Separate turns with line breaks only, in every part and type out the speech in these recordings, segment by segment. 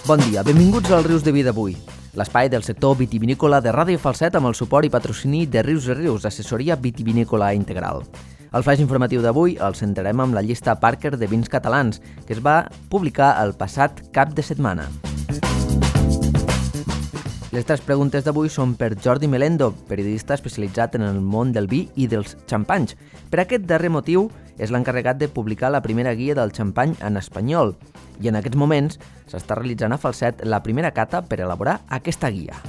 Bon dia, benvinguts als Rius de Vi d'avui, l'espai del sector vitivinícola de Ràdio Falset amb el suport i patrocini de Rius i Rius, assessoria vitivinícola integral. Al flaix informatiu d'avui el centrarem amb la llista Parker de vins catalans, que es va publicar el passat cap de setmana. Les tres preguntes d'avui són per Jordi Melendo, periodista especialitzat en el món del vi i dels xampanys. Per aquest darrer motiu, és l'encarregat de publicar la primera guia del xampany en espanyol i en aquests moments s'està realitzant a Falset la primera cata per elaborar aquesta guia.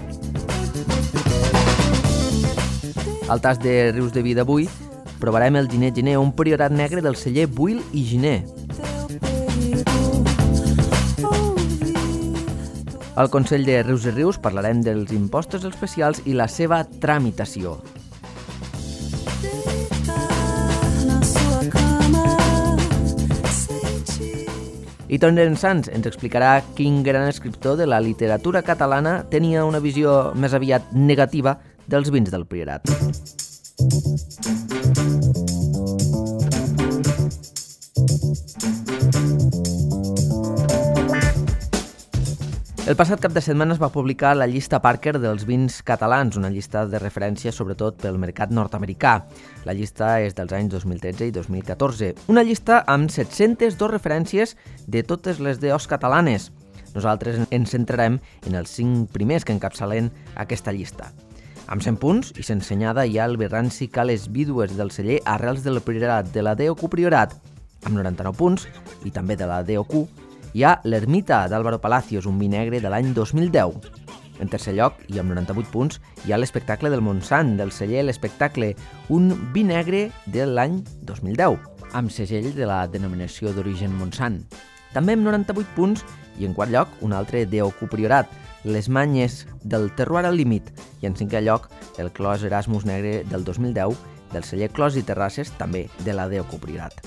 Al tas de Rius de Vi d'avui provarem el Gener Gener, un priorat negre del celler Buil i Giner. Al Consell de Rius i Rius parlarem dels impostos especials i la seva tramitació. I Toni Sans ens explicarà quin gran escriptor de la literatura catalana tenia una visió més aviat negativa dels vins del Priorat. El passat cap de setmana es va publicar la llista Parker dels vins catalans, una llista de referència sobretot pel mercat nord-americà. La llista és dels anys 2013 i 2014. Una llista amb 702 referències de totes les DOs catalanes. Nosaltres ens centrarem en els 5 primers que encapçalen aquesta llista. Amb 100 punts i sense senyada hi ha el Berranci Cales Vídues del celler Arrels del Priorat de la DOQ Priorat, amb 99 punts, i també de la DOQ, hi ha l'Ermita d'Álvaro Palacios, un vi negre de l'any 2010. En tercer lloc, i amb 98 punts, hi ha l'Espectacle del Montsant, del celler L'Espectacle, un vi negre de l'any 2010, amb segell de la denominació d'origen Montsant. També amb 98 punts, i en quart lloc, un altre DOQ Priorat, Les Manyes del Terroir al Límit, i en cinquè lloc, el Clos Erasmus negre del 2010, del celler Clos i Terrasses, també de la DOQ Priorat.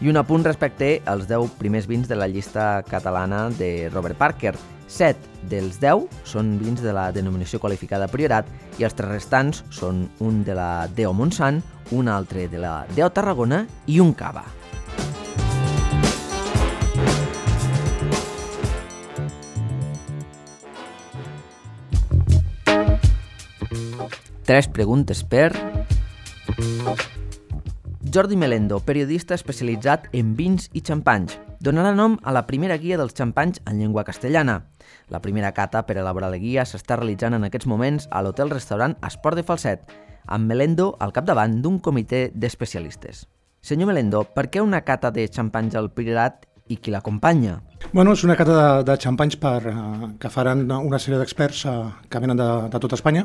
I un apunt respecte als 10 primers vins de la llista catalana de Robert Parker. 7 dels 10 són vins de la denominació qualificada Priorat i els 3 restants són un de la DO Montsant, un altre de la DO Tarragona i un Cava. Tres preguntes per Jordi Melendo, periodista especialitzat en vins i xampanys, donarà nom a la primera guia dels xampanys en llengua castellana. La primera cata per elaborar la guia s'està realitzant en aquests moments a l'hotel-restaurant Esport de Falset, amb Melendo al capdavant d'un comitè d'especialistes. Senyor Melendo, per què una cata de xampanys al Priorat i qui l'acompanya?
Bueno, és una cata de xampanys que faran una sèrie d'experts que venen de tot Espanya.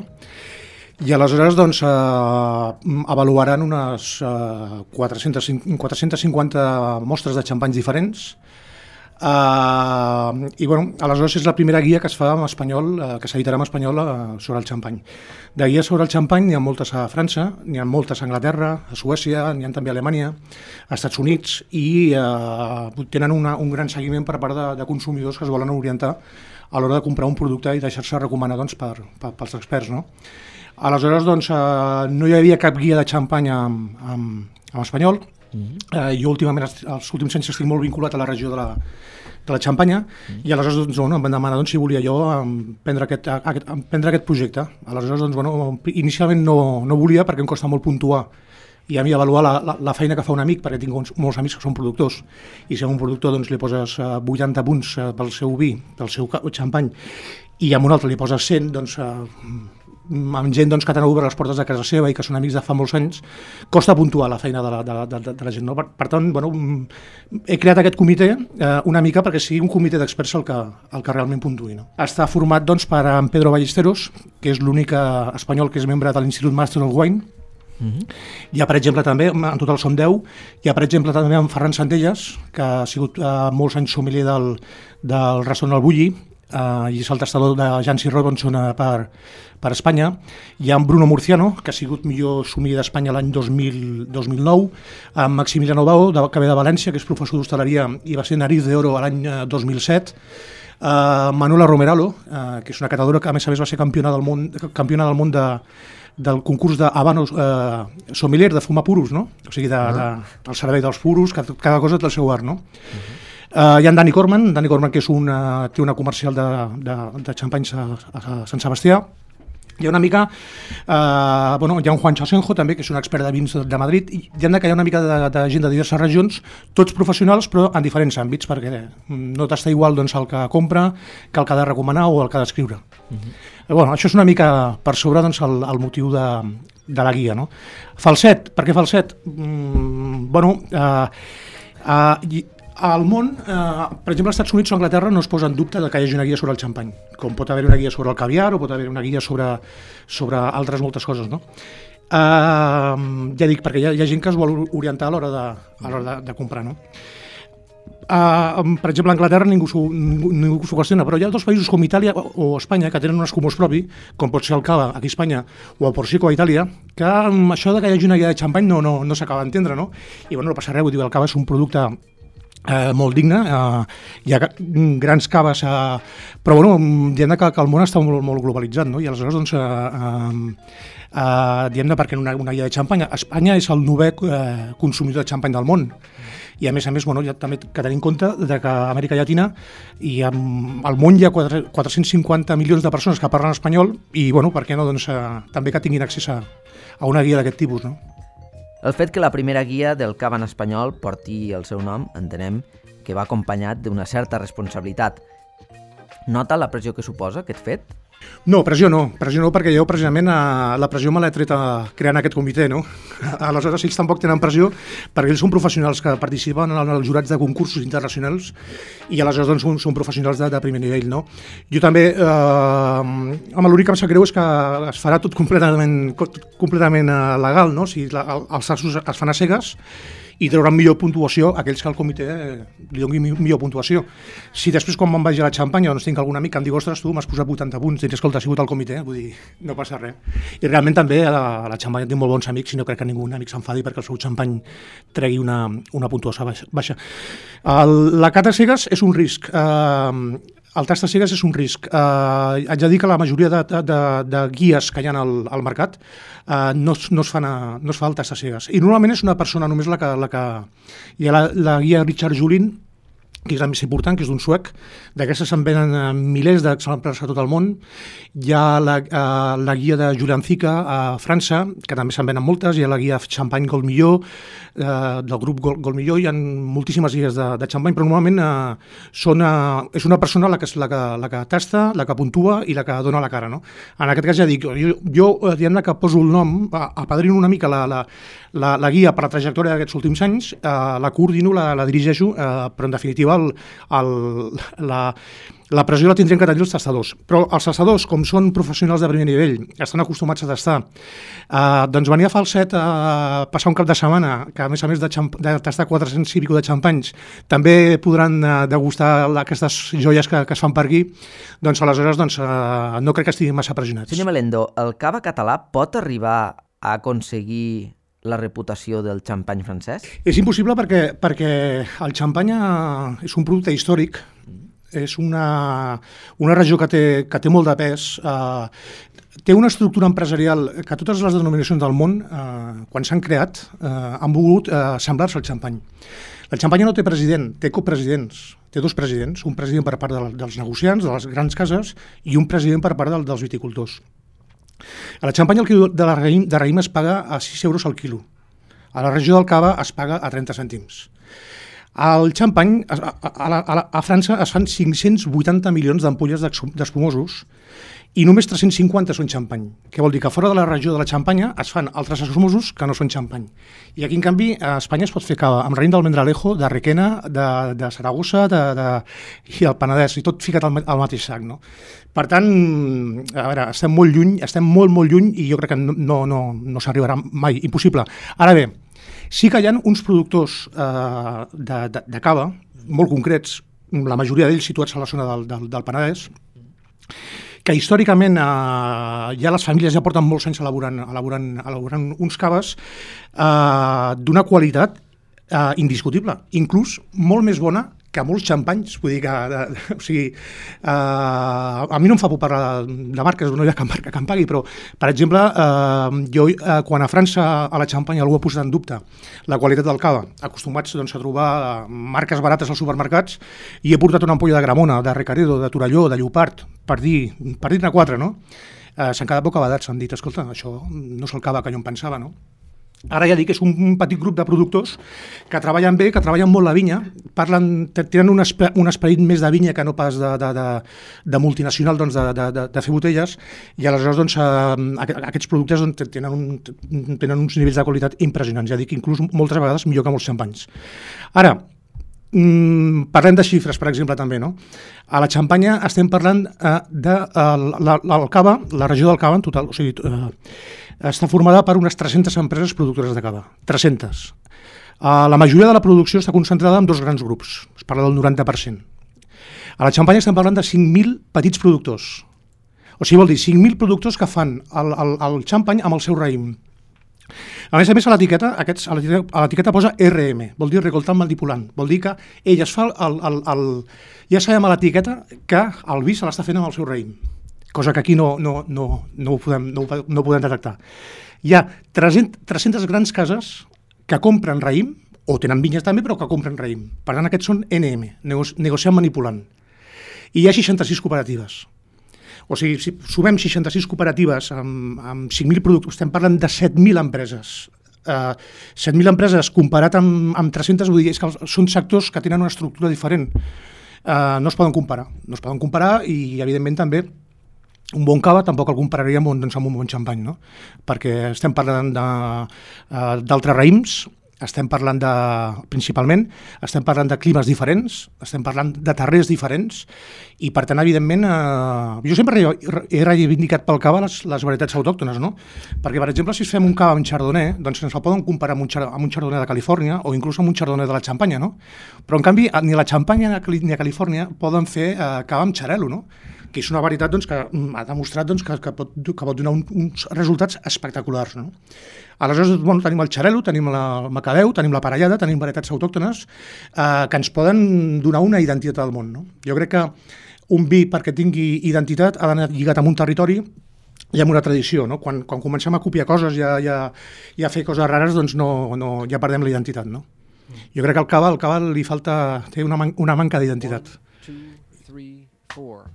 I aleshores doncs, avaluaran unes 450 mostres de xampanys diferents i bueno, aleshores és la primera guia que es fa en espanyol, que s'editarà en espanyol sobre el xampany. De guies sobre el xampany n'hi ha moltes a França, n'hi ha moltes a Anglaterra, a Suècia, n'hi ha també a Alemanya, a Estats Units i tenen un gran seguiment per part de consumidors que es volen orientar a l'hora de comprar un producte i deixar-se recomanar doncs, pels experts, no? Aleshores, doncs, no hi havia cap guia de xampany en espanyol. Jo últimament, els últims anys, estic molt vinculat a la regió de la Xampanya i aleshores doncs, bueno, em van demanar si volia jo prendre aquest projecte. Aleshores, doncs, bueno, inicialment no volia perquè em costa molt puntuar i a mi avaluar la feina que fa un amic, perquè tinc molts amics que són productors, i si a un productor doncs, li poses 80 punts pel seu vi, pel seu xampany, i a un altre li poses 100, doncs amb gent doncs, que t'han obert les portes de casa seva i que són amics de fa molts anys, costa puntuar la feina de la gent. No? Per tant, bueno, he creat aquest comitè una mica perquè sigui un comitè d'experts el que realment puntuï. No? Està format doncs, per en Pedro Ballesteros, que és l'únic espanyol que és membre de l'Institut Master of Wine. Hi ha, per exemple, també, en total som 10, hi ha, per exemple, també en Ferran Centelles, que ha sigut molts anys sommelier del restaurant El Bulli, i és el tastador de Jancy Robinson per Espanya. Hi ha en Bruno Murciano, que ha sigut millor sommelier d'Espanya l'any 2009, en Maximiliano Bao, que ve de València, que és professor d'hostaleria i va ser nariz d'oro l'any 2007, Manuela Romeralo, que és una catadora que a més va ser campiona del món del concurs d'Habanos sommelier, de fumar puros, no? O sigui, del servei dels puros, cada cosa té el seu art, no? Hi ha en Dani Corman, que té una comercial de xampanys a Sant Sebastià. Hi ha una mica, hi ha un Juan Chasenjo també, que és un expert de vins de Madrid, i hi ha una mica de gent de diverses regions, tots professionals però en diferents àmbits, perquè no t'està igual doncs, el que compra que el que ha de recomanar o el que ha d'escriure. Això és una mica per sobre doncs, el motiu de la guia. No? Falset, per què falset? Al món, per exemple, als Estats Units o Anglaterra no es posa en dubte que hi hagi una guia sobre el xampany, com pot haver una guia sobre el caviar o pot haver una guia sobre altres moltes coses. No? Ja dic, perquè hi ha gent que es vol orientar a l'hora de comprar. No? Per exemple, a Anglaterra ningú s'ho qüestiona, però hi ha dos països com Itàlia o Espanya que tenen un escumós propi, com pot ser el cava aquí a Espanya o el Prosecco a Itàlia, que això de que hi hagi una guia de xampany no s'acaba d'entendre, no? I no passa res, vull dir, el cava és un producte molt digne, hi ha grans caves, però diguem que el món està molt globalitzat, no? I aleshores doncs, diguem perquè una guia de xampany, Espanya és el 9è consumidor de xampany del món, i a més ja també que tenir en compte que a Amèrica Llatina i al món hi ha 450 milions de persones que parlen espanyol i per què no doncs, també que tinguin accés a una guia d'aquest tipus, no?
El fet que la primera guia del cava en espanyol porti el seu nom, entenem que va acompanyat d'una certa responsabilitat. Nota la pressió que suposa aquest fet?
No, pressió no, perquè jo precisament la pressió me l'he tret creant aquest comitè, no? Aleshores ells tampoc tenen pressió perquè ells són professionals que participen en els jurats de concursos internacionals i aleshores doncs, són professionals de primer nivell, no? Jo també, l'únic que em sap greu és que es farà tot completament legal, no? O sigui, els assos es fan a cegues i trauran millor puntuació aquells que al comitè li donin millor puntuació. Si després quan me'n vagi a la xampanya doncs tinc algun amic que em digui ostres, tu m'has posat 80 punts, i escolta, ha sigut al comitè, vull dir, no passa res. I realment també a la xampanya tinc molt bons amics i no crec que ningú amic s'enfadi perquè el seu xampany tregui una puntuació baixa. La cata cegues és un risc. El tast de cegues és un risc. Haig de dir que la majoria de guies que hi ha al mercat no es fa el tast de cegues. I normalment és una persona només la que... Hi ha la guia Richard Julin, que és la més important, que és d'un suec. D'aquestes se'n venen milers d'exemplars a tot el món. Hi ha la guia de Julian Zica a França, que també se'n venen moltes. Hi ha la guia Champagne Gold Millor, del grup Gold Millor. Hi ha moltíssimes guies de xampany, però normalment és una persona la que tasta, la que puntua i la que dona la cara. No? En aquest cas ja dic, jo diguem-ne que poso el nom, apadrino una mica la guia per la trajectòria d'aquests últims anys, la coordino, la dirigeixo, però en definitiva la pressió la tindrien que tenir els tastadors. Però els tastadors, com són professionals de primer nivell, estan acostumats a tastar, doncs venir a Falset a passar un cap de setmana, que a més de tastar 400 i pico de xampanys, també podran degustar aquestes joies que es fan per aquí, doncs aleshores no crec que estiguin massa pressionats.
Senyor Melendo, el cava català pot arribar a aconseguir la reputació del xampany francès?
És impossible perquè el xampany és un producte històric, és una regió que té molt de pes, té una estructura empresarial que totes les denominacions del món, quan s'han creat, han volgut semblar-se al xampany. La xampanya no té president, té copresidents, té dos presidents, un president per part dels negociants, de les grans cases, i un president per part dels viticultors. A la xampanya el quilo de raïm es paga a 6 euros al quilo. A la regió del cava es paga a 30 cèntims. Al xampany, a França es fan 580 milions d'ampolles d'espumosos i només 350 són xampany. Què vol dir? Que fora de la regió de la xampanya es fan altres espumosos que no són xampany. I aquí, en canvi, a Espanya es pot fer cava amb raïm d'Almendralejo, de Requena, de Saragossa i el Penedès, i tot ficat al mateix sac. No? Per tant, a veure, estem molt lluny, molt lluny, i jo crec que no s'arribarà mai, impossible. Ara bé, sí que hi ha uns productors de cava, molt concrets, la majoria d'ells situats a la zona del Penedès, que històricament ja les famílies ja porten molts anys elaborant uns caves d'una qualitat indiscutible, inclús molt més bona que molts xampanys, vull dir que, o sigui, a mi no em fa por parlar de marques, no hi ha cap marca que em pagui, però, per exemple, jo, quan a França a la Xampanya algú ha posat en dubte la qualitat del cava, acostumats doncs, a trobar marques barates als supermercats, i he portat una ampolla de Gramona, de Recaredo, de Torelló, de Llopart, per dir-ne 4, no? S'han quedat bocabadats, s'han dit, escolta, això no és el cava que jo em pensava, no? Ara ja dic que és un petit grup de productors que treballen bé, que treballen molt la vinya, tenen un esperit més de vinya que no pas de multinacional, doncs, de fer botelles, i aleshores doncs, aquests productes doncs, tenen uns nivells de qualitat impressionants, ja dic, inclús moltes vegades millor que molts xampanys. Ara, parlem de xifres, per exemple, també, no? A la Xampanya estem parlant del cava, la regió del cava en total, o sigui, està formada per unes 300 empreses productores de cava, 300. La majoria de la producció està concentrada en dos grans grups, es parla del 90%. A la Xampanya estem parlant de 5.000 petits productors, o sigui, vol dir 5.000 productors que fan el xampany amb el seu raïm. A més, a l'etiqueta posa RM, vol dir recoltant manipulant, vol dir que ell es fa ja sabem a l'etiqueta que el vi se l'està fent amb el seu raïm, cosa que aquí no ho podem detectar. Hi ha 300 grans cases que compren raïm, o tenen vinyes també, però que compren raïm. Per tant, aquests són NM, negociant manipulant. I hi ha 66 cooperatives. O sigui, si sumem 66 cooperatives amb 5.000 productors, estem parlant de 7.000 empreses. 7.000 empreses comparat amb 300, vull dir, és que són sectors que tenen una estructura diferent. No es poden comparar i, evidentment, també un bon cava tampoc el compararíem amb un bon xampany, no? Perquè estem parlant d'altres raïms, principalment, estem parlant de climes diferents, estem parlant de terrers diferents, i per tant, evidentment, jo sempre he reivindicat pel cava les varietats autòctones, no? Perquè, per exemple, si fem un cava amb chardonnay, doncs ens el poden comparar amb un chardonnay de Califòrnia o inclús amb un chardonnay de la Xampanya, no? Però, en canvi, ni a la Xampanya ni a Califòrnia poden fer cava amb xarel·lo, no? Que és una varietat doncs, que ha demostrat doncs, que pot donar uns resultats espectaculars, no? Aleshores, tenim el xarel·lo, tenim el macabeu, tenim la parellada, tenim varietats autòctones que ens poden donar una identitat al món, no? Jo crec que un vi, perquè tingui identitat, ha d'anar lligat amb un territori i amb una tradició, no? Quan comencem a copiar coses i a fer coses rares, doncs ja perdem la identitat, no? Jo crec que al cava li falta, té una manca d'identitat.
1, 2, 3, 4.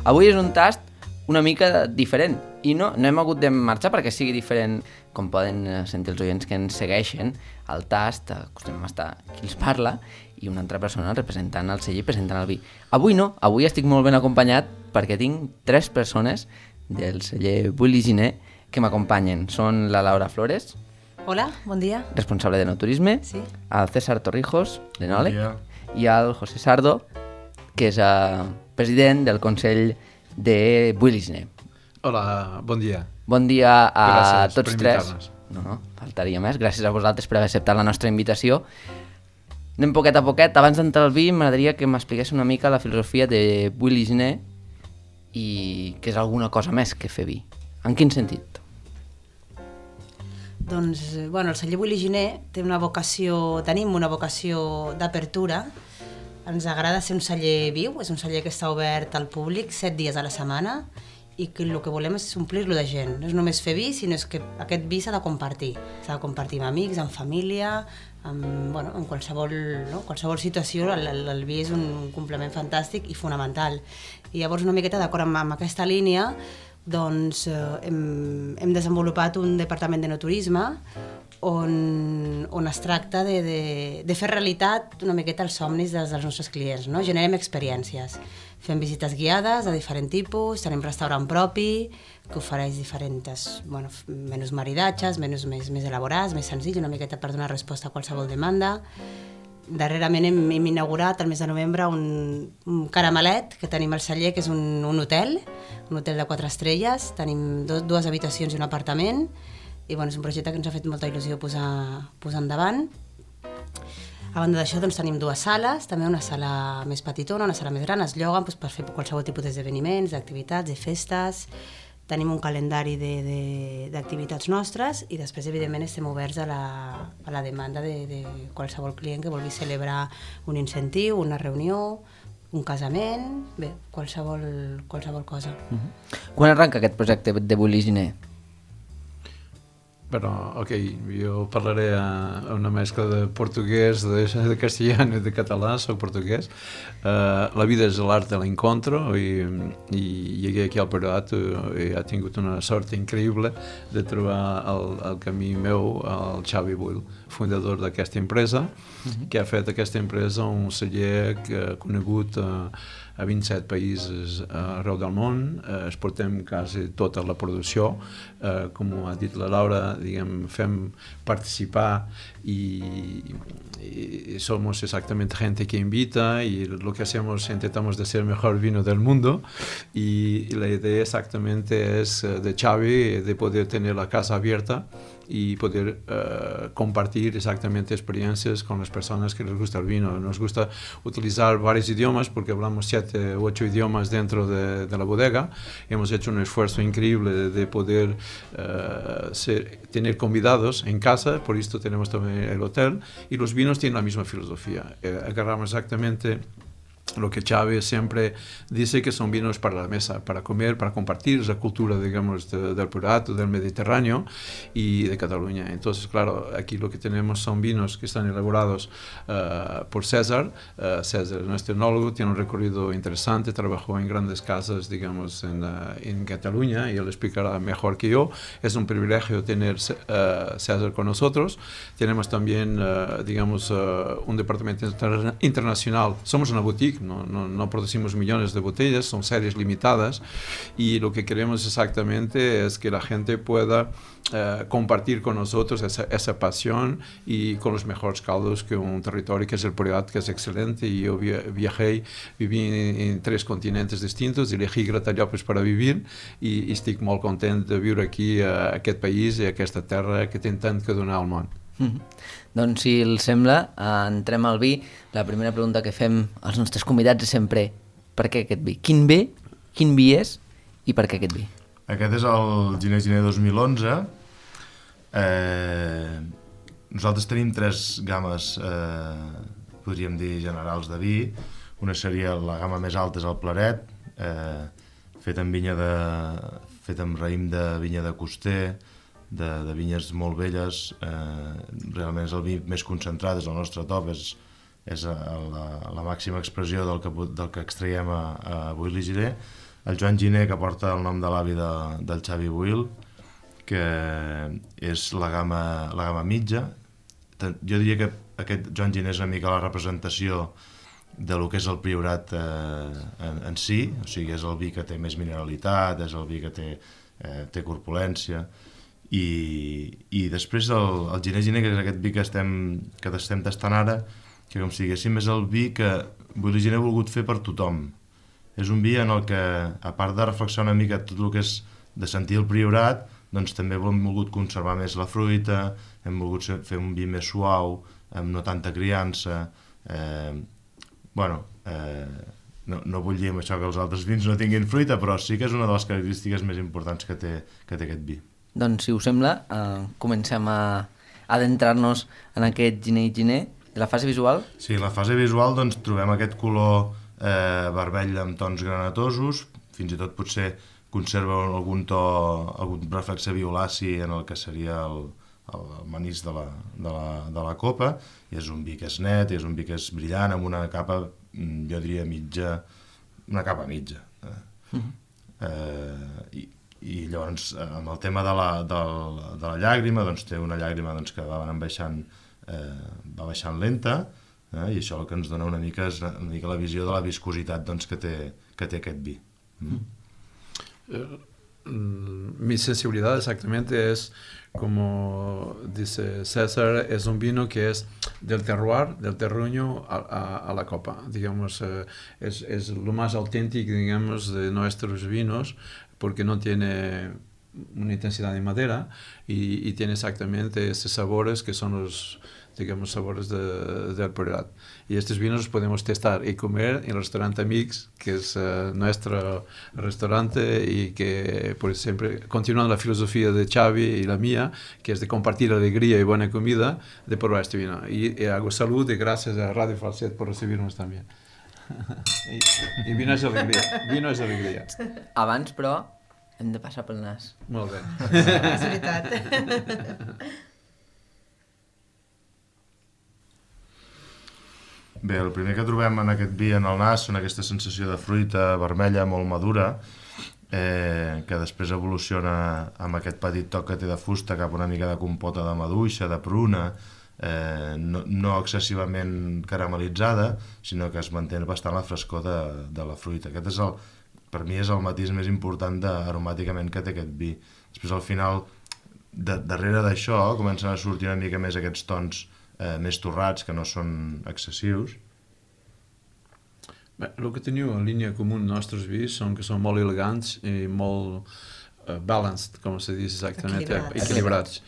Avui és un tast una mica diferent i no hem hagut de marxar perquè sigui diferent, com poden sentir els oients que ens segueixen. Al tast acostumem a estar qui els parla i una altra persona representant el celler i presentant el vi. Avui no, avui estic molt ben acompanyat perquè tinc 3 persones del celler Buy-Liginer que m'acompanyen. Són la Laura Flores.
Hola, bon dia.
Responsable de no-turisme.
Sí.
El César Torrijos, l'enòleg.
Bon dia.
I el José Sardo, que és president del Consell de Buy-Liginer.
Hola, bon dia.
Bon dia a
Gràcies
tots
per
tres.
invitar-nos.
No, faltaria més. Gràcies a vosaltres per haver acceptat la nostra invitació. Anem poquet a poquet. Abans d'entrar al vi, m'agradaria que m'expliqués una mica la filosofia de Buy-Liginer i que és alguna cosa més que fer vi. En quin sentit?
Doncs, el celler Buy-Liginer tenim una vocació d'apertura. Ens agrada ser un celler viu, és un celler que està obert al públic 7 dies a la setmana i que el que volem és omplir-lo de gent. No és només fer vi, sinó que aquest vi s'ha de compartir. S'ha de compartir amb amics, amb família, en qualsevol situació. El vi és un complement fantàstic i fonamental. I llavors, una miqueta d'acord amb aquesta línia, doncs hem desenvolupat un departament de no-turisme on es tracta de fer realitat una miqueta els somnis dels nostres clients, no? Generem experiències. Fem visites guiades de diferent tipus, tenim restaurant propi que ofereix diferents menús maridatges, menús més elaborats, més senzills, una miqueta per donar resposta a qualsevol demanda. Darrerament hem inaugurat el mes de novembre un caramelet que tenim al celler, que és un hotel de 4 estrelles. Tenim 2 habitacions i un apartament i és un projecte que ens ha fet molta il·lusió posar endavant. A banda d'això doncs, tenim dues sales, també una sala més petitona, una sala més gran, es lloguen doncs, per fer qualsevol tipus d'esdeveniments, d'activitats, de festes. Tenim un calendari d'activitats nostres i després, evidentment, estem oberts a la demanda de qualsevol client que vulgui celebrar un incentiu, una reunió, un casament, bé, qualsevol cosa.
Quan arranca aquest projecte de Willy Giner?
Bueno, ok, jo parlaré una mescla de portuguès, de castellano i de català, soc portuguès. La vida és l'art de l'encontro i llegué aquí al Priorat i he tingut una sort increïble de trobar el camí meu, el Xavi Buil, fundador d'aquesta empresa, que ha fet aquesta empresa un celler conegut a 27 països arreu del món, exportem quasi tota la producció, com ha dit la Laura, diguem, fem participar y somos exactamente gente que invita y lo que hacemos intentamos de ser el mejor vino del mundo y la idea exactamente es de Xavi de poder tener la casa abierta y poder compartir exactamente experiencias con las personas que les gusta el vino. Nos gusta utilizar varios idiomas porque hablamos 7 u 8 idiomas dentro de la bodega. Hemos hecho un esfuerzo increíble de poder tener convidados en casa, por esto tenemos también el hotel, y los vinos tienen la misma filosofía. Agarramos exactamente lo que Xavi siempre dice, que son vinos para la mesa, para comer, para compartir esa cultura, digamos, del Priorat, del Mediterráneo y de Cataluña. Entonces, claro, aquí lo que tenemos son vinos que están elaborados por César. César es nuestro enólogo, tiene un recorrido interesante, trabajó en grandes casas, digamos, en Cataluña, y él explicará mejor que yo. Es un privilegio tener César con nosotros. Tenemos también, digamos, un departamento internacional. Somos una boutique, no producimos millones de botellas, son series limitadas, y lo que queremos exactamente es que la gente pueda compartir con nosotros esa pasión y con los mejores caldos que un territorio que es el Priorat, que es excelente. Y yo viví en 3 continents distintos, elegí Gratallops para vivir i estic molt content de viure aquí a aquest país i a aquesta terra que té tant que donar al món.
Doncs si els sembla, entrem al vi. La primera pregunta que fem als nostres convidats és sempre: per què aquest vi? Quin vi és i per què aquest vi?
Aquest és el Giner 2011. Nosaltres tenim 3 games, podríem dir, generals de vi. Una seria la gamma més alta, és el Claret, fet amb raïm de vinya de Coster, de vinyes molt velles. Realment és el vi més concentrat, és el nostre top, és la màxima expressió del que extraiem a Willy Giner. El Joan Giner, que porta el nom de l'avi del Xavi Buil, que és la gamma mitja. Jo diria que aquest Joan Giner és una mica la representació de lo que és el Priorat en si, o sigui, és el vi que té més mineralitat, és el vi que té corpulència. I després el Giner, que és aquest vi que estem tastant ara, que com si diguéssim és el vi que Willy Giner ha volgut fer per tothom. És un vi en el que, a part de reflexionar una mica tot el que és de sentir el Priorat, doncs també hem volgut conservar més la fruita, hem volgut fer un vi més suau, amb no tanta criança. No vull dir amb això que els altres vins no tinguin fruita, però sí que és una de les característiques més importants que té aquest vi.
Doncs, si us sembla, comencem a adentrar-nos en aquest Giner. La fase visual?
Sí, la fase visual, doncs, trobem aquest color vermell amb tons granatosos, fins i tot potser conserva algun reflexe violaci en el que seria el manís de la copa, i és un vi que és net, i és un vi que és brillant, amb una capa, jo diria mitja, una capa mitja. I llavors, amb el tema de la llàgrima, doncs té una llàgrima que va baixant lenta, i això el que ens dona una mica és la visió de la viscositat que té aquest vi.
Mi sensibilidad exactamente es, como dice César, es un vino que es del terroir, del terruño a la copa. Digamos, es lo más auténtico, digamos, de nuestros vinos, porque no tiene una intensidad de madera y tiene exactamente esos sabores que son los digamos, sabores del Priorat. Y estos vinos los podemos testar y comer en el restaurante Mix, que es nuestro restaurante y que por siempre, continuando la filosofía de Xavi y la mía, que es de compartir alegría y buena comida, de probar este vino. Y hago salud y gracias a Radio Falset por recibirnos también. I vino és alegria.
Abans, però, hem de passar pel nas.
Molt bé.
És veritat.
Bé, el primer que trobem en aquest vi en el nas són aquesta sensació de fruita vermella molt madura, que després evoluciona amb aquest petit toc que té de fusta cap a una mica de compota de maduixa, de pruna, no excessivament caramelitzada, sinó que es manté bastant la frescor de la fruita. Aquest és per mi és el matís més important aromàticament que té aquest vi. Després al final, darrere d'això, comencen a sortir una mica més aquests tons més torrats, que no són excessius.
Bé, el que teniu en línia comú en nostres vins són que són molt elegants i molt balanced, com se diu exactament, equilibrats.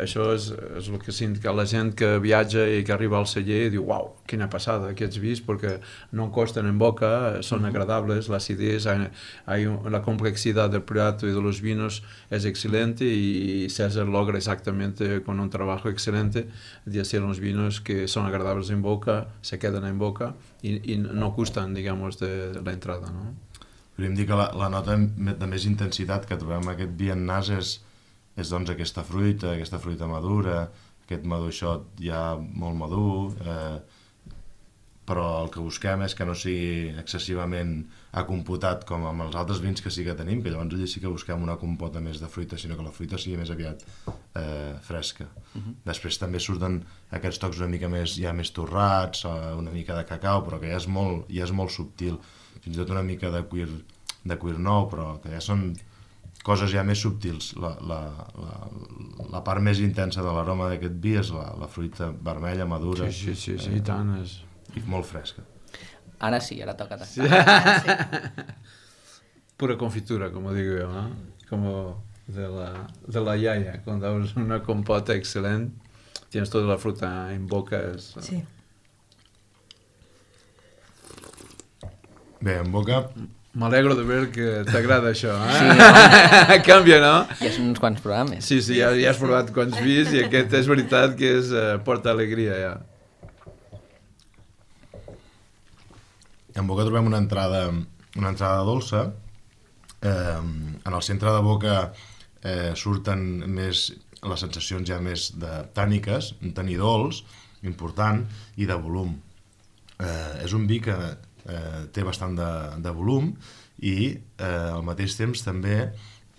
Això és el que sent la gent que viatja i que arriba al celler i diu, uau, quina passada aquests vins, perquè no costen en boca, són agradables, la acidez, la complexidad del plato y de los vinos es excelente y César logra exactamente con un trabajo excelente de hacer unos vinos que son agradables en boca, se quedan en boca y no gustan, digamos, de la entrada, ¿no?
Podríem dir que la nota de més intensitat que trobem aquest vi en nas és doncs aquesta fruita madura, aquest maduixot ja molt madur, però el que busquem és que no sigui excessivament acompotat com amb els altres vins que sí que tenim, que llavors allà sí que busquem una compota més de fruita, sinó que la fruita sigui més aviat fresca. Després també surten aquests tocs una mica més torrats, una mica de cacau, però que ja és molt subtil, fins i tot una mica de cuir nou, però que ja són coses ja més subtils. La part més intensa de l'aroma d'aquest vi és la fruita vermella, madura.
Sí, i tant.
I molt fresca.
Ara sí, ara toca tastar.
Sí. Pura confitura, como digo yo, ¿no? Como de la yaya, cuando abres una compota excelente, tienes toda la fruta en boca.
Sí.
Bé, en boca...
M'alegro de veure que t'agrada això, eh?
Sí, no?
Canvia, no?
Ja són uns quants programes.
Sí, ja has provat quants vins i aquest és veritat que porta alegria, ja.
En boca trobem una entrada dolça. En el centre de boca surten més les sensacions ja més tàniques, un taní dolç, important, i de volum. És un vi que té bastant de volum i al mateix temps també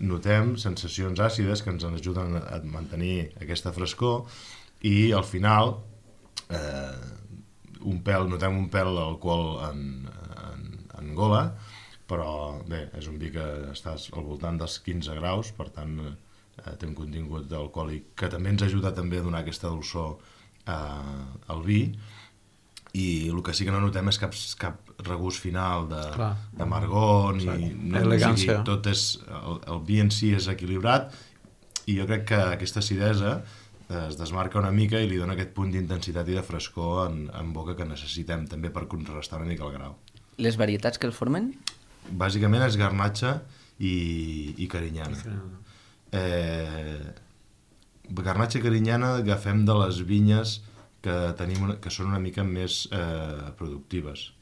notem sensacions àcides que ens ajuden a mantenir aquesta frescor i al final notem un pèl d'alcohol en gola, però bé, és un vi que està al voltant dels 15 graus, per tant té un contingut alcohòlic que també ens ajuda també a donar aquesta dolçor al vi. I el que sí que no notem és cap regust final d'amargor ni elegància. Tot és, el vi en si és equilibrat i jo crec que aquesta acidesa es desmarca una mica i li dona aquest punt d'intensitat i de frescor en boca que necessitem també per contrarrestar una mica el grau.
Les varietats que el formen?
Bàsicament és garnatxa i carinyana. Garnatxa i carinyana agafem de les vinyes que són una mica més productives.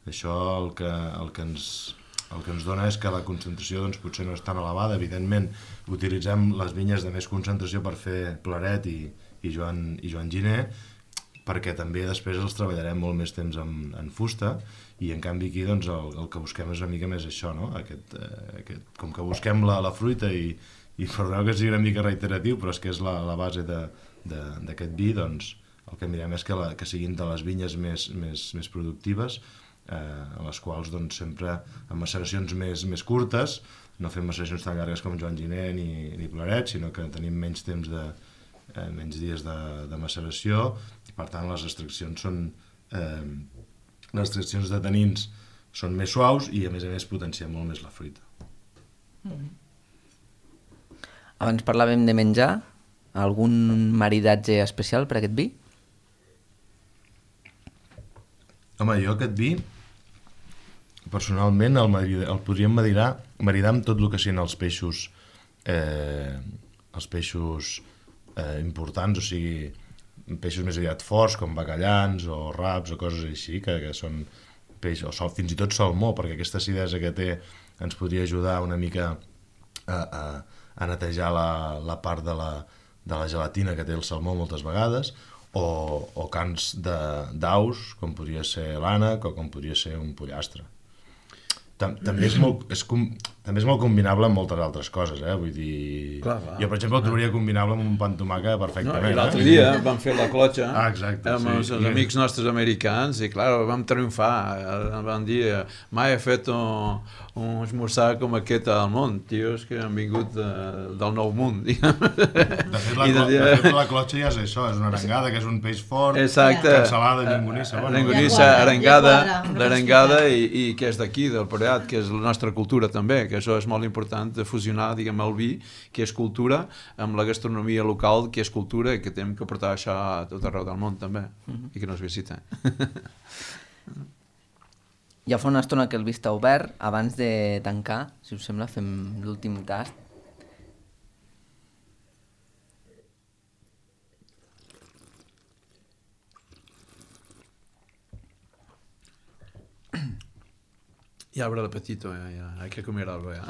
Això el que ens dona és que la concentració potser no és tan elevada. Evidentment, utilitzem les vinyes de més concentració per fer Claret i Joan Giner, perquè també després els treballarem molt més temps en fusta, i en canvi aquí el que busquem és una mica més això, no? Com que busquem la fruita i perdoneu que sigui una mica reiteratiu, però és que és la base d'aquest vi, doncs el que mirem és que siguin de les vinyes més productives, a les quals sempre amb maceracions més curtes, no fem maceracions tan llargues com Joan Giner ni Claret, sinó que tenim menys temps menys dies de maceració, i per tant les extraccions de tanins són més suaus i a més potenciem molt més la fruita.
Abans parlàvem de menjar. Algun maridatge especial per aquest vi?
Home, jo aquest vi, personalment, el podríem maridar amb tot el que siguin els peixos importants, o sigui, peixos més aviat forts, com bacallans o raps o coses així, que són peixos, o fins i tot salmó, perquè aquesta acidesa que té ens podria ajudar una mica a netejar la part de la gelatina que té el salmó moltes vegades, o cans d'aus, com podria ser l'ànec o com podria ser un pollastre. També és molt combinable amb moltes altres coses, vull dir... Clar. Jo, per exemple, el trobaria combinable amb un pa amb tomàquet perfectament.
No, i l'altre dia vam fer la clotxa
exacte,
amb els amics nostres americans i, clar, vam triomfar. Vam dir, mai he fet un esmorzar com aquest al món, tios que han vingut del nou món.
De fet, la clotxa ja és això, és una arengada, que és un peix fort, cansalada, llonganissa...
Llonganissa, arengada i que és d'aquí, del Priorat, que és la nostra cultura també, que això és molt important de fusionar, diguem, el vi, que és cultura, amb la gastronomia local, que és cultura, i que hem que portar això a tot arreu del món també, i que no es visita.
Ja fa una estona que el vi està obert. Abans de tancar, si us sembla, fem l'últim tast.
Ja obre l'apetito, ja. Hay que comer algo, ja.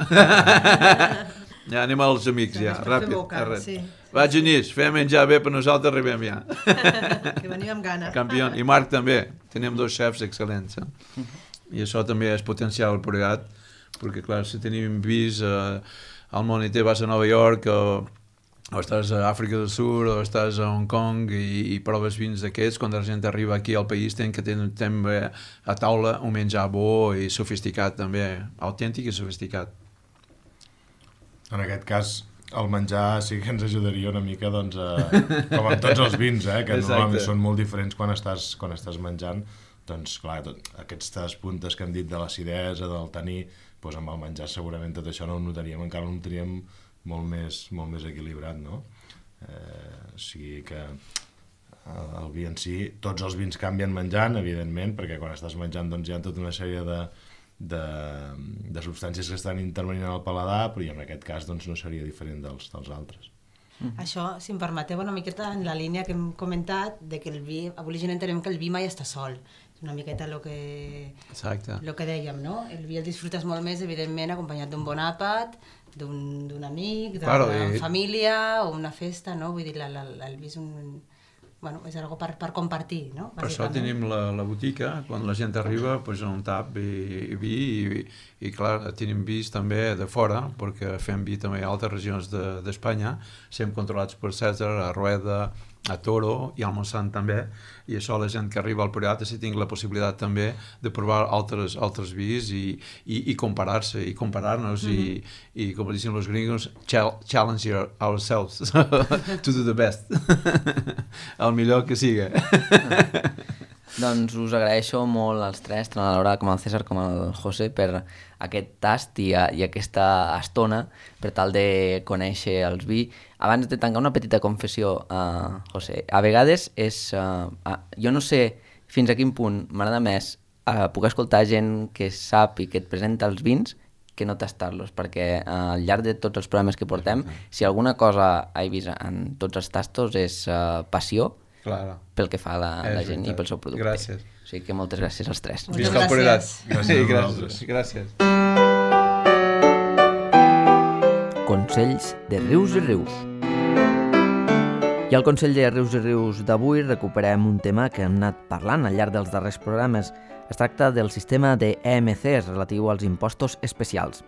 Ja anem als amics, ja, ràpid. Va, Genís, fem menjar bé per nosaltres, arribem ja.
Que venim amb gana.
Campió. I Marc també. Tenim dos xefs excel·lents. I això també és potenciar el Priorat, perquè, clar, si tenim vist al món i vas a Nova York o estàs a Àfrica del Sud o estàs a Hong Kong i proves vins d'aquests, quan la gent arriba aquí al país tenen que tenir a taula un menjar bo i sofisticat també, autèntic i sofisticat.
En aquest cas, el menjar sí que ens ajudaria una mica, doncs, com amb tots els vins, que normalment són molt diferents quan estàs menjant, doncs, clar, aquestes puntes que hem dit de l'acidesa, del taní, doncs amb el menjar segurament tot això no ho notaríem, encara ho notaríem molt més equilibrat, no? O sigui que el vi en si, tots els vins canvien menjant, evidentment, perquè quan estàs menjant doncs hi ha tota una sèrie de substàncies que estan intervenint en el paladar, però en aquest cas doncs, no seria diferent dels altres.
Això, si em permeteu, una miqueta en la línia que hem comentat, de que el vi, avui entenem que el vi mai està sol. És una miqueta el que dèiem, no? El vi el disfrutes molt més, evidentment, acompanyat d'un bon àpat, d'un amic, d'una família o una festa, no? Vull dir, el vi és és algo per compartir, no?
Per això tenim la botica, quan la gent arriba, doncs un tap i vi, i clar, tenim vis també de fora, perquè fem vi també a altres regions d'Espanya, sempre controlats per Cèsar, a Rueda, a Toro i al Montsant també, i això la gent que arriba al Priorat si tinc la possibilitat també de provar altres vis i comparar-se i comparar-nos i com dicen els gringos, challenge ourselves to do the best el millor que siga.
Doncs us agraeixo molt als tres, tant a la Laura com al César com al José, per aquest tast i aquesta estona per tal de conèixer els vi. Abans de tancar, una petita confessió, José. A vegades jo no sé fins a quin punt m'agrada més poder escoltar gent que sap i que et presenta els vins que no tastar-los, perquè al llarg de tots els programes que portem, si alguna cosa he vist en tots els tastos és passió, pel que fa a la gent i pel seu producte.
Gràcies.
O sigui que moltes gràcies als tres.
Visca el Priorat. Gràcies.
Consells de Rius i Rius. I al Consell de Rius i Rius d'avui recuperem un tema que hem anat parlant al llarg dels darrers programes. Es tracta del sistema de EMCs relatiu als impostos especials.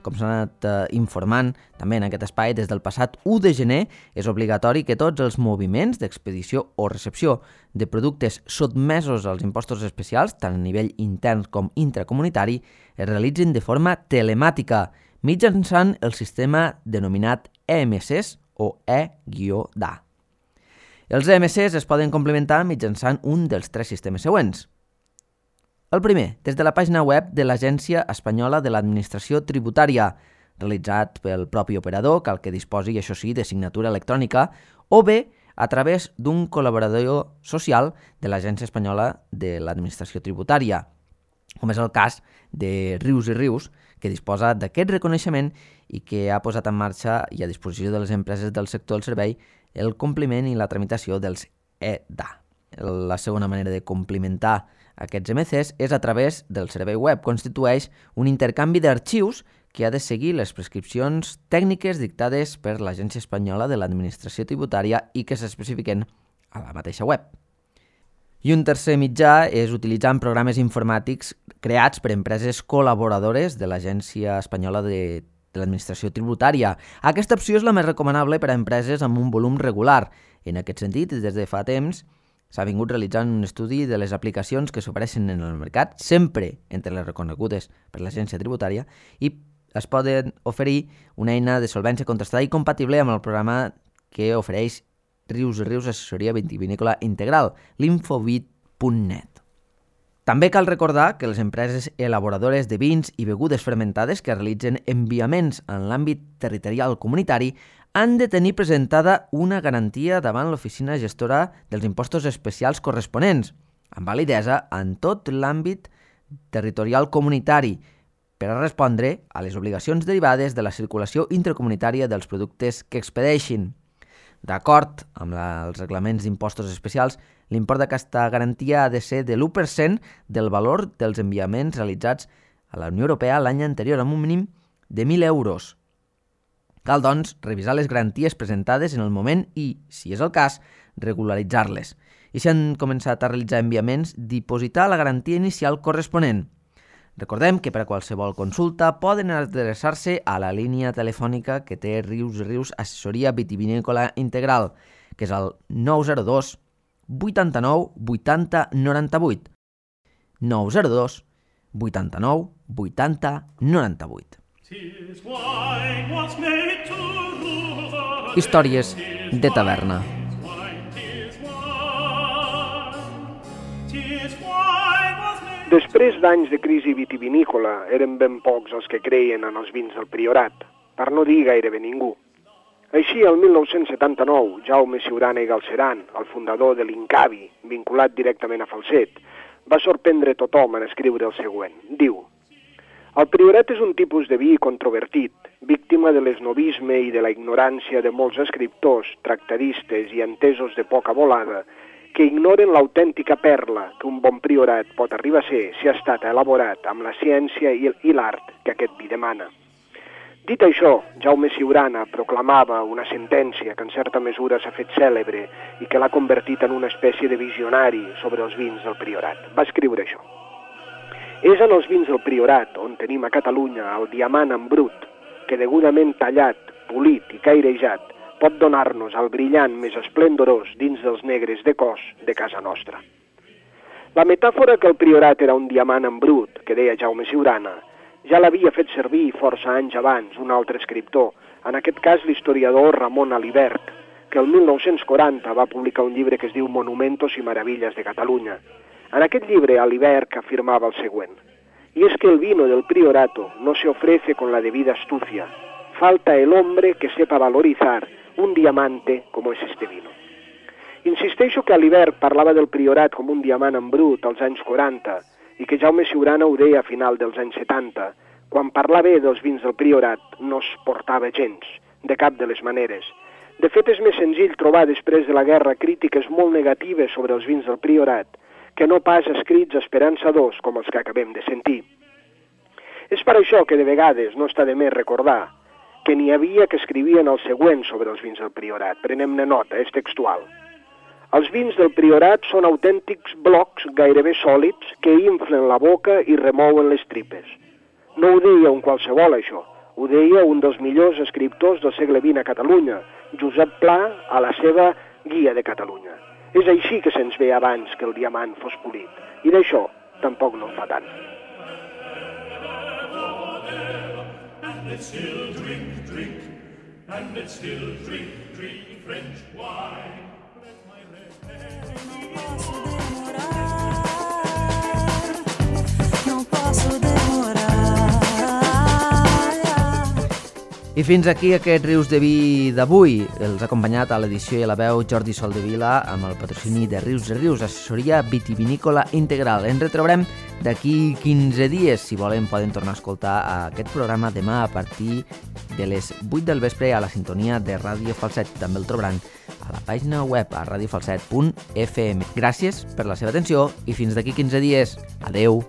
Com s'ha anat informant també en aquest espai, des del passat 1 de gener és obligatori que tots els moviments d'expedició o recepció de productes sotmesos als impostos especials, tant a nivell intern com intracomunitari, es realitzin de forma telemàtica, mitjançant el sistema denominat EMCs o E-DA. Els EMCs es poden complementar mitjançant un dels tres sistemes següents. El primer, des de la pàgina web de l'Agència Espanyola de l'Administració Tributària, realitzat pel propi operador, cal que disposi, això sí, de signatura electrònica, o bé a través d'un col·laborador social de l'Agència Espanyola de l'Administració Tributària, com és el cas de Rius i Rius, que disposa d'aquest reconeixement i que ha posat en marxa i a disposició de les empreses del sector del servei el compliment i la tramitació dels EDA. La segona manera de complimentar aquests MCs és a través del servei web. Constitueix un intercanvi d'arxius que ha de seguir les prescripcions tècniques dictades per l'Agència Espanyola de l'Administració Tributària i que s'especifiquen a la mateixa web. I un tercer mitjà és utilitzant programes informàtics creats per empreses col·laboradores de l'Agència Espanyola de l'Administració Tributària. Aquesta opció és la més recomanable per a empreses amb un volum regular. En aquest sentit, des de fa temps, s'ha vingut realitzant un estudi de les aplicacions que s'ofereixen en el mercat, sempre entre les reconegudes per l'Agència Tributària, i es poden oferir una eina de solvència contrastada i compatible amb el programa que ofereix Rius i Rius Assessoria Vitivinícola Integral, l'infovit.net. També cal recordar que les empreses elaboradores de vins i begudes fermentades que realitzen enviaments en l'àmbit territorial comunitari han de tenir presentada una garantia davant l'oficina gestora dels impostos especials corresponents, amb validesa en tot l'àmbit territorial comunitari, per a respondre a les obligacions derivades de la circulació intercomunitària dels productes que expedeixin. D'acord amb els reglaments d'impostos especials, l'import d'aquesta garantia ha de ser de l'1% del valor dels enviaments realitzats a la Unió Europea l'any anterior, amb un mínim de 1.000 euros. Cal, doncs, revisar les garanties presentades en el moment i, si és el cas, regularitzar-les. I si han començat a realitzar enviaments, dipositar la garantia inicial corresponent. Recordem que per a qualsevol consulta poden adreçar-se a la línia telefònica que té Rius i Rius Assessoria Vitivinícola Integral, que és el 902 89 80 98. 902 89 80 98. Històries de taverna.
Després d'anys de crisi vitivinícola, eren ben pocs els que creien en els vins del Priorat, per no dir gairebé ningú. Així, el 1979, Jaume Ciurana i Galceran, el fundador de l'Incavi, vinculat directament a Falset, va sorprendre tothom en escriure el següent. Diu: el Priorat és un tipus de vi controvertit, víctima de l'esnovisme i de la ignorància de molts escriptors, tractadistes i entesos de poca volada, que ignoren l'autèntica perla que un bon priorat pot arribar a ser si ha estat elaborat amb la ciència i l'art que aquest vi demana. Dit això, Jaume Ciurana proclamava una sentència que en certa mesura s'ha fet cèlebre i que l'ha convertit en una espècie de visionari sobre els vins del Priorat. Va escriure això. És en els vins del Priorat, on tenim a Catalunya el diamant en brut, que degudament tallat, polit i cairejat, pot donar-nos el brillant més esplendorós dins dels negres de cos de casa nostra. La metàfora que el Priorat era un diamant en brut, que deia Jaume Ciurana, ja l'havia fet servir força anys abans un altre escriptor, en aquest cas l'historiador Ramon Alibert, que el 1940 va publicar un llibre que es diu Monumentos y Maravillas de Cataluña. En aquest llibre Alibert afirmava el següent: y es que el vino del Priorato no se ofrece con la debida astucia, falta el hombre que sepa valorizar un diamante como es este vino. Insisteixo que Alibert parlava del Priorat com un diamant en brut als anys 40 i que Jaume Ciurana ho deia a final dels anys 70. Quan parlava dels vins del Priorat no es portava gens, de cap de les maneres. De fet, és més senzill trobar després de la guerra crítiques molt negatives sobre els vins del Priorat que no pas escrits esperançadors com els que acabem de sentir. És per això que de vegades no està de més recordar que n'hi havia que escrivien el següent sobre els vins del Priorat. Prenem-ne nota, és textual. Els vins del Priorat són autèntics blocs gairebé sòlids que inflen la boca i remouen les tripes. No ho deia un qualsevol, això. Ho deia un dels millors escriptors del segle XX a Catalunya, Josep Pla, a la seva Guia de Catalunya. És així que se'ns ve abans que el diamant fos polit. I d'això tampoc no en fa tant. And let's still drink, drink, and let's still drink, drink French wine.
I fins aquí aquest Rius de Vi d'avui. Els ha acompanyat a l'edició i a la veu Jordi Soldevila amb el patrocini de Rius de Rius, assessoria vitivinícola integral. Ens retrobarem d'aquí 15 dies. Si volen poden tornar a escoltar aquest programa demà a partir de les 8 del vespre a la sintonia de Ràdio Falset. També el trobaran a la pàgina web a radiofalset.fm. Gràcies per la seva atenció i fins d'aquí 15 dies. Adeu!